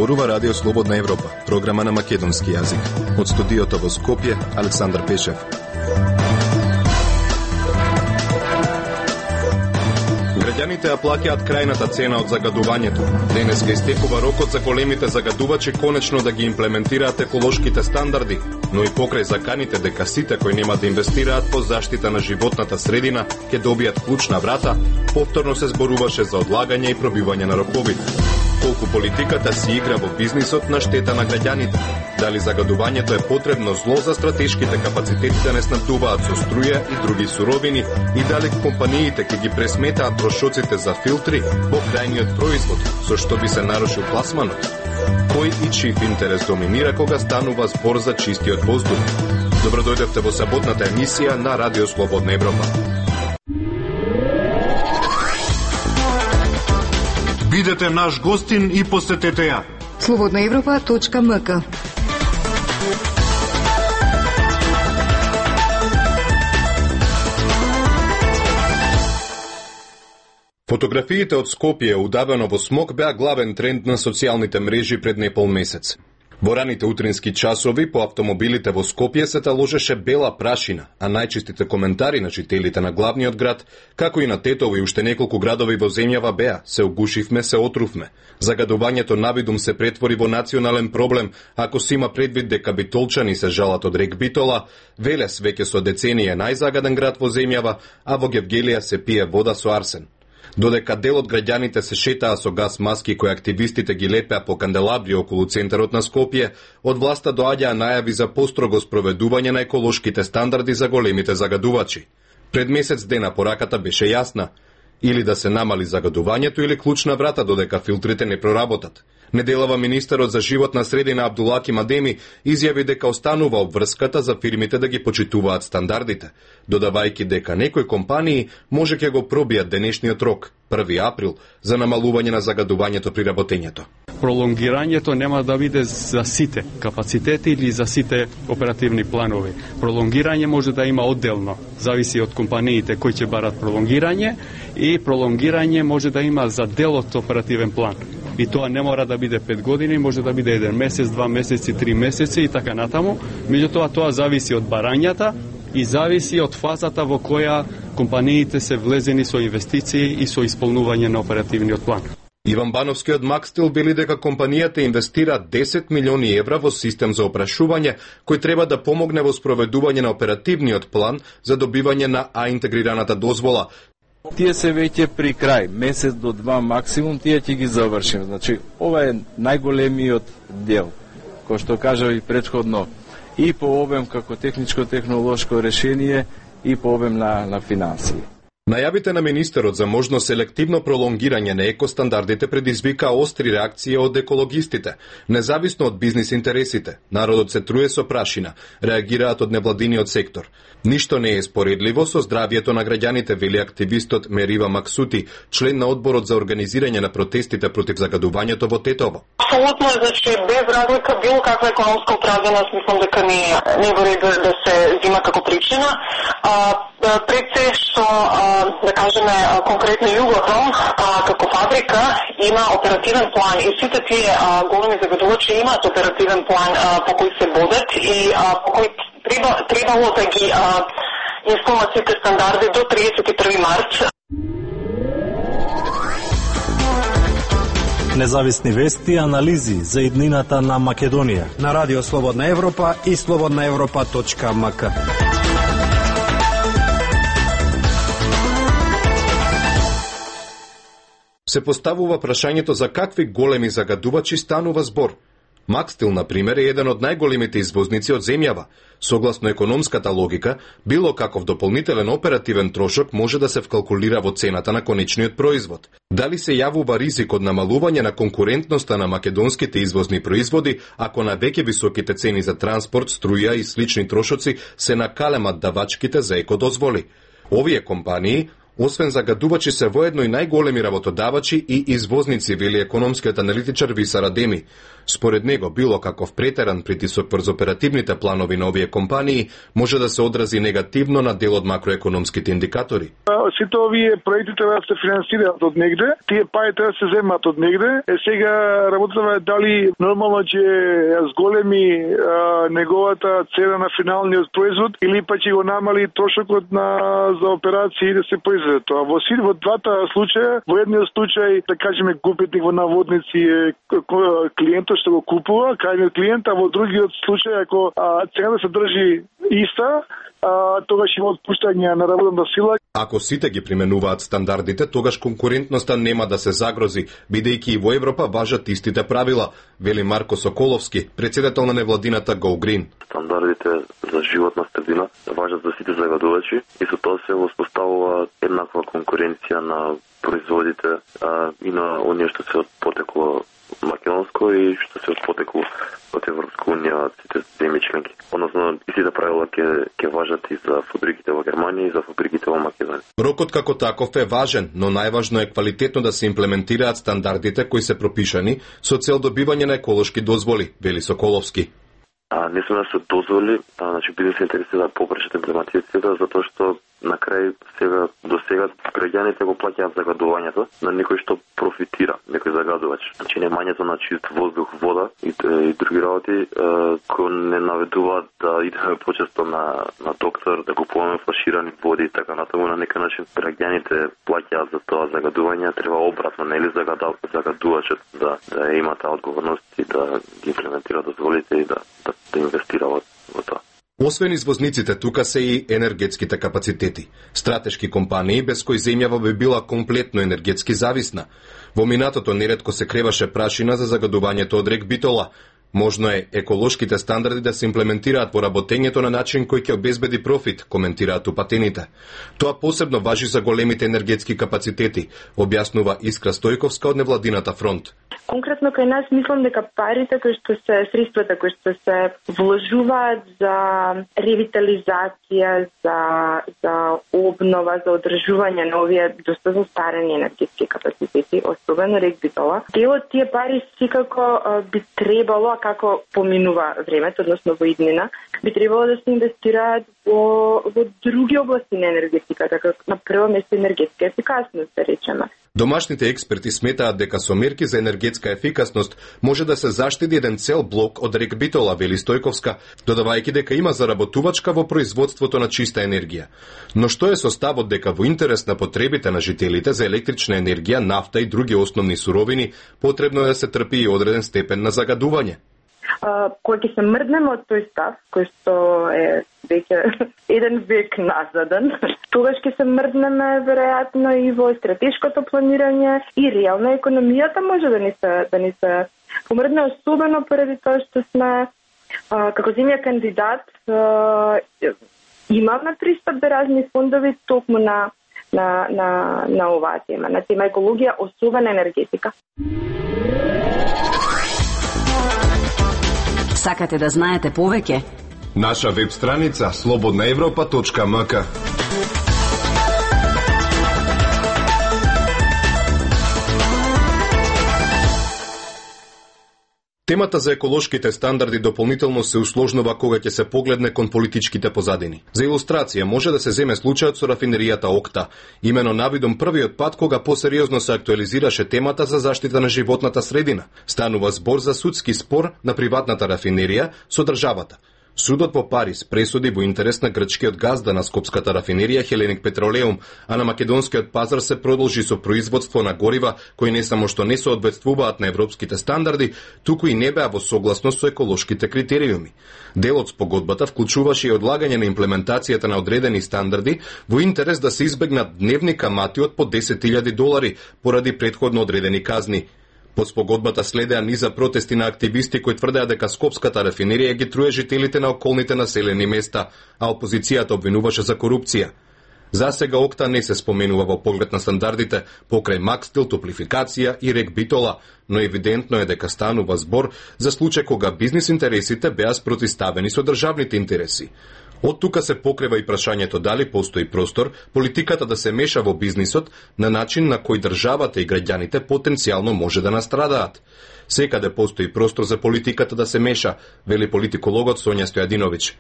Зборува Радио Слободна Европа, програма на македонски јазик. Од студиото во Скопје, Александар Пешев. Граѓаните ја плаќаат крајната цена од загадувањето. Денеска истекува рокот за големите загадувачи конечно да ги имплементираат еколошките стандарди, но и покрај заканите дека сите кои нема да инвестираат по заштита на животната средина ќе добијат клучна врата, повторно се зборуваше за одлагање и пробивање на роковите. Колку политиката си игра во бизнисот на штета на граѓаните. Дали загадувањето е потребно зло за стратешките капацитети да не снабдуваат со струја и други суровини и дали компаниите ќе ги пресметаат трошоците за филтри во крајниот производ, со што би се нарушил пласманот. Кој и чиј интерес доминира кога станува збор за чистиот воздух? Добро дојдовте во саботната емисија на Радио Слободна Европа. Бидете наш гостин и посетете ја. slobodnaevropa.mk. Фотографиите од Скопје удавено во смог беа главен тренд на социјалните мрежи пред непол месец. Во раните утрински часови по автомобилите во Скопје се таложеше бела прашина, а најчестите коментари на жителите на главниот град, како и на Тетово и уште неколку градови во земјава беа: се огушивме, се отрувме. Загадувањето навидум се претвори во национален проблем, ако се има предвид дека битолчани се жалат од рек Битола, Велес веќе со деценија најзагаден град во земјава, а во Гевгелија се пие вода со арсен. Додека дел од граѓаните се шетаа со газ маски кои активистите ги лепеа по канделабри околу центарот на Скопје, од власта доаѓаа најави за построго спроведување на еколошките стандарди за големите загадувачи. Пред месец дена пораката беше јасна: или да се намали загадувањето или клучна врата додека филтрите не проработат. Неделава министерот за животна средина Абдулаки Мадеми изјави дека останува обврската за фирмите да ги почитуваат стандардите, додавајќи дека некои компании може ќе го пробијат денешниот рок, 1 април, за намалување на загадувањето при работењето. Пролонгирањето нема да биде за сите капацитети или за сите оперативни планови. Пролонгирање може да има одделно, зависи од компаниите кои ќе барат пролонгирање, и пролонгирање може да има за дел од оперативен план. И тоа не мора да биде 5 години, може да биде 1 месец, 2 месеци, 3 месеци и така натаму. Меѓутоа тоа зависи од барањата и зависи од фазата во која компаниите се влезени со инвестиции и со исполнување на оперативниот план. Иван Бановски од Макстил били дека компанијата инвестира 10 милиони евра во систем за опрашување кој треба да помогне во спроведување на оперативниот план за добивање на А-интегрираната дозвола. Тие се веќе при крај, месец до 2 максимум, тие ќе ги завршим. Значи, ова е најголемиот дел, кој што кажа и претходно, и по обем како техничко-технолошко решение, и по обем на финансии. Најавите на министерот за можно селективно пролонгирање на екостандардите предизвика остри реакции од екологистите, независно од бизнис интересите. Народот се труе со прашина, реагираат од невладиниот сектор. Ништо не е споредливо со здравието на граѓаните, вели активистот Мерива Максути, член на одборот за организирање на протестите против загадувањето во Тетово. Апсолутно е, значи, без разлика било каква економска оправданост, мислам дека не во ред да се зима како причина. Пред се што, да кажеме, конкретно Југохром, како фабрика, има оперативен план и сите тие големи загадувачи имаат оперативен план по кој се водат и по кој требало да ги исполнат сите стандарди до 31 март. Независни вести и анализи за иднината на Македонија на Радио Слободна Европа и slobodnaevropa.mk. Се поставува прашањето за какви големи загадувачи станува збор. Макстил, например, е еден од најголемите извозници од земјава. Согласно економската логика, било каков дополнителен оперативен трошок може да се вкалкулира во цената на конечниот производ. Дали се јавува ризик од намалување на конкурентноста на македонските извозни производи, ако на веќе високите цени за транспорт, струја и слични трошоци се накалемат давачките за екодозволи? Овие компании Освен загадувачи се воедно и најголеми работодавачи и извозници, вели економскиот аналитичар Висар Адеми. Според него, било каков претеран притисок врз оперативните планови на овие компании може да се одрази негативно на дел од макроекономските индикатори. Сите овие проекти треба да се финансираат од негде, тие пари треба да се земат од негде. Сега работата е дали нормално ќе зголеми неговата цена на финалниот производ или па ќе го намали трошокот за операции да се произведе тоа. Во двата случаја, во едниот случај, да кажеме, губитник во наводници е клиентот што го купува, крајниот клиент, а во другиот случај, ако цената се држи иста, тогаш има отпуштање на работна сила. Ако сите ги применуваат стандардите, тогаш конкурентноста нема да се загрози, бидејќи и во Европа важат истите правила, вели Марко Соколовски, председател на невладината Go Green. Стандардите за животна средина важат за сите загадувачи и со тоа се воспоставува еднаква конкуренција на производите и на оние што се од потекло македонско и што се од потекло од Европска унија, сите земји членки. Односно, истите правила ќе важат и за фабриките во Германија и за фабриките во Македонија. Рокот како таков е важен, но најважно е квалитетно да се имплементираат стандардите кои се пропишани со цел добивање на еколошки дозволи, вели Соколовски. Не сме да се дозволи, значи бизнес интереси да попречат имплементацијата, затоа што на крај до сега граѓаните го плаќаат загадувањето на некој што профитира, некој загадувач. Значи немањето на чист воздух, вода и други работи кои не наведуваат да идеме почесто на доктор, да купуваме флаширани води и така натаму. На некој начин граѓаните плаќаат за тоа загадување, треба обратно, нели загадувачот да има таа одговорност и да ги имплементира дозволите и да инвестира во тоа. Освен извозниците, тука се и енергетските капацитети. Стратешки компании без кои земјава би била комплетно енергетски зависна. Во минатото неретко се креваше прашина за загадувањето од рек Битола. Можно е еколошките стандарди да се имплементираат во работењето на начин кој ќе обезбеди профит, коментираат упатените. Тоа посебно важи за големите енергетски капацитети, објаснува Искра Стојковска од невладината фронт. Конкретно кај нас мислам дека парите кои што се средствата кои што се вложуваат за ревитализација, за обнова, за одржување на овие доста застарени енергетски капацитети, особено рек Битола, дел од тие пари секако би требало, како поминува времето, односно во иднина, би требало да се инвестираат во други области на енергетиката, како на прво место енергетска ефикасност, да речеме. Домашните експерти сметаат дека со мерки за енергетска ефикасност може да се заштеди еден цел блок од рек Битола, вели Стојковска, додавајќи дека има заработувачка во производството на чиста енергија. Но што е со ставот дека во интерес на потребите на жителите за електрична енергија, нафта и други основни суровини, потребно е да се трпи и одреден степен на загадување? Кога ќе се мрднеме од тој став, кој што е веќе еден век назаден, тогаш ќе се мрднеме веројатно и во стратешкото планирање и реална економијата може да ни се помрдне, особено поради тоа што сме како земја кандидат имаме пристап до разни фондови токму на оваа тема, на тема екологија, особено енергетика. Сакате да знаете повеќе? Наша веб страница slobodnaevropa.mk. Темата за еколошките стандарди дополнително се усложнува кога ќе се погледне кон политичките позадини. За илустрација може да се земе случајот со рафинеријата Окта, имено навидом првиот пат кога посериозно се актуализираше темата за заштита на животната средина. Станува збор за судски спор на приватната рафинерија со државата. Судот по Париз пресуди во интерес на грчкиот газда на скопската рафинерија Хеленик Петролеум, а на македонскиот пазар се продолжи со производство на горива кои не само што не соодветствуваат на европските стандарди, туку и не беа во согласност со еколошките критериуми. Дел од спогодбата вклучуваше и одлагање на имплементацијата на одредени стандарди во интерес да се избегнат дневни камати од по $10,000 поради претходно одредени казни. Под спогодбата следеа низа протести на активисти кои тврдеа дека скопската рафинерија ги труе жителите на околните населени места, а опозицијата обвинуваше за корупција. За сега Окта не се споменува во поглед на стандардите покрај Макстил, топлификација и рек Битола, но евидентно е дека станува збор за случај кога бизнис интересите беа спротиставени со државните интереси. Од тука се покрива и прашањето дали постои простор политиката да се меша во бизнисот на начин на кој државата и граѓаните потенцијално може да настрадаат. Секаде постои простор за политиката да се меша, вели политикологот Сонја Стојадиновиќ.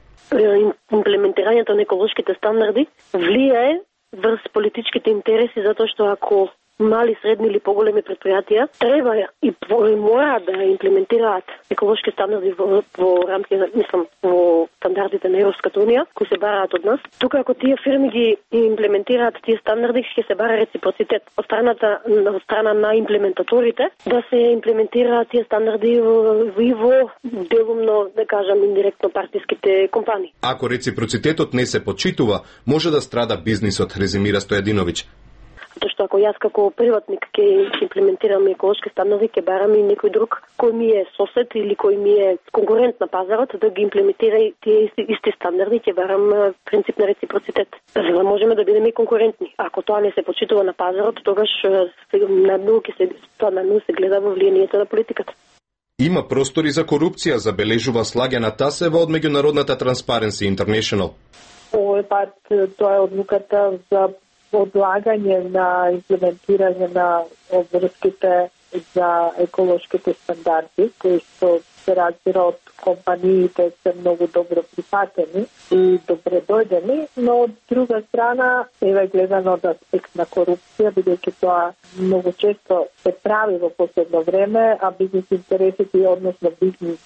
Имплементирањето на еколошките стандарди влијае врз политичките интереси, затоа што ако мали, средни или поголеми предпријатија треба и мора да имплементираат еколошки стандарди во рамките, во стандардите на Европската унија, кои се бараат од нас. Тука ако тие фирми ги имплементираат тие стандарди, ќе се бара реципроцитет од страна на имплементаторите да се имплементираат тие стандарди и во делумно, да кажам, индиректно партиските компании. Ако реципроцитетот не се почитува, може да страда бизнисот, резимира Стојадиновиќ. Тоа што ако јас како приватник ќе имплементирам еколошки стандарди, ќе барам и некој друг кој ми е сосед или кој ми е конкурент на пазарот да ги имплементира и тие исти стандарди, ќе барам принцип на реципроцитет. За да можеме да бидеме конкурентни. Ако тоа не се почитува на пазарот, тогаш надмногу се гледа во влијанието на политиката. Има простори за корупција, забележува Слагјана Тасева од меѓународната Transparency International. Овој пат тоа е одлуката за одлагање на имплементирање на обврските за еколошките стандарди, кои се разбира од компаниите се многу добро прифатени и добре дојдени, но од друга страна е гледано од аспект на корупција, бидејќи тоа многу често се прави во последно време, а бизнес интересите, односно бизнес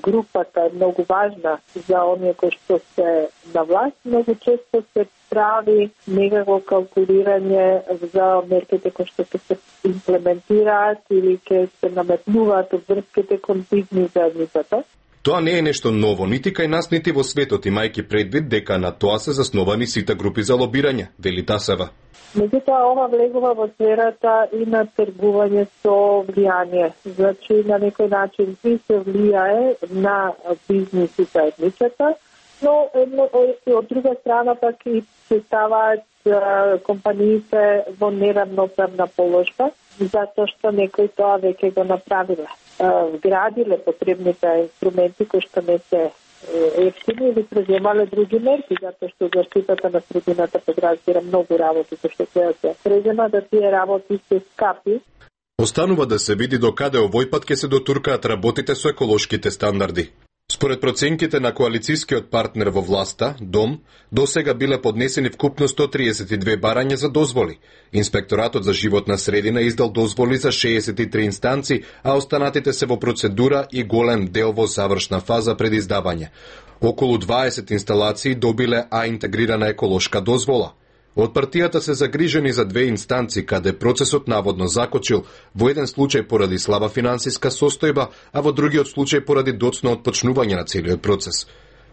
групата е многу важна за оние кои што се на власт, многу често се прави некако калкулирање за мерките кои што се имплементираат или ќе се наметнуваат врските кон бизнес заедницата. Тоа не е нешто ново, нити кај нас, нити во светот, имајќи предвид дека на тоа се засновани сите групи за лобирање, вели Тасева. Меѓутоа, ова влегува во сферата и на тргување со влијание. Значи, на некој начин и се влијае на бизнес и заедницата, но од друга страна пак и се ставаат компаниите во неравноправна положба, затоа што некои тоа веќе го направиле. Вградиле потребните инструменти кои што не се ефтини или преземале други мерки, затоа што заштитата на средината подразбира многу работи кои што треба се презема, да тие работи се скапи. Останува да се види до каде овој пат ќе се дотуркаат работите со еколошките стандарди. Според проценките на коалицијскиот партнер во власта, ДОМ, досега биле поднесени вкупно 132 барања за дозволи. Инспекторатот за животна средина издал дозволи за 63 инстанци, а останатите се во процедура и голем дел во завршна фаза пред издавање. Околу 20 инсталации добиле интегрирана еколошка дозвола. Од партијата се загрижени за две инстанци, каде процесот наводно закочил, во еден случај поради слаба финансиска состојба, а во другиот случај поради доцно отпочнување на целиот процес.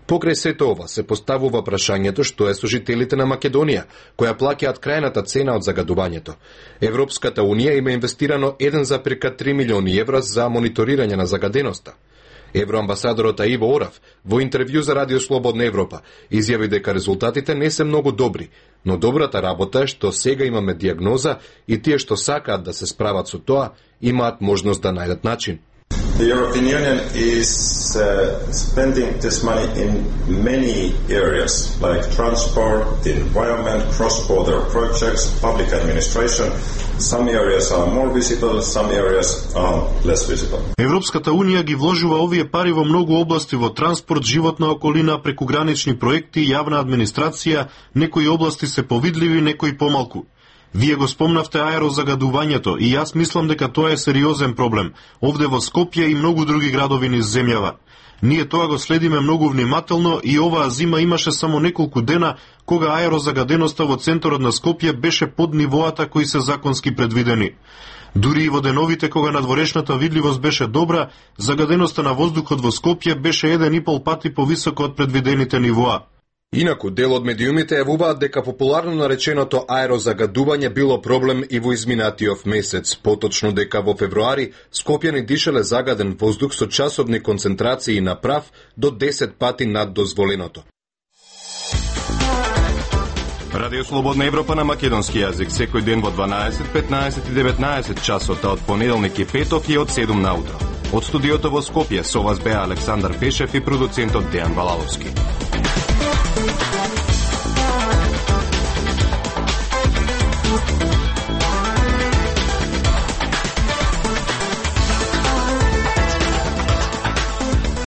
Покрај сето ова се поставува прашањето што е со жителите на Македонија, која плаќаат крајната цена од загадувањето. Европската унија има инвестирано 1,3 милиони евра за мониторирање на загаденоста. Евроамбасадорот Иво Орав во интервју за Радио Слободна Европа изјави дека резултатите не се многу добри, но добрата работа е што сега имаме диагноза и тие што сакаат да се справат со тоа имаат можност да најдат начин. The European Union is spending this money in many areas, like transport, the environment, cross-border projects, public administration. Some areas are more visible, some areas are less visible. Европската унија ги вложува овие пари во многу области, во транспорт, животна околина, прекугранични проекти, јавна администрација, некои области се повидливи, некои помалку. Вие го спомнавте аерозагадувањето и јас мислам дека тоа е сериозен проблем, овде во Скопје и многу други градови низ земјава. Ние тоа го следиме многу внимателно и оваа зима имаше само неколку дена кога аерозагаденоста во центарот на Скопје беше под нивоата кои се законски предвидени. Дури и во деновите кога надворешната видливост беше добра, загаденоста на воздухот во Скопје беше 1,5 пати повисоко од предвидените нивоа. Инаку, дел од медиумите јавуваат дека популарно нареченото аерозагадување било проблем и во изминатиот месец, поточно дека во февруари Скопјани дишале загаден воздух со часовни концентрации на прав до 10 пати над дозволеното. Радио Слободна Европа на македонски јазик секој ден во 12, 15 и 19 часот од понеделник и петок и од 7 наутро. Од студиото во Скопје со вас беа Александар Пешев и продуцентот Дејан Балаловски. Thank you.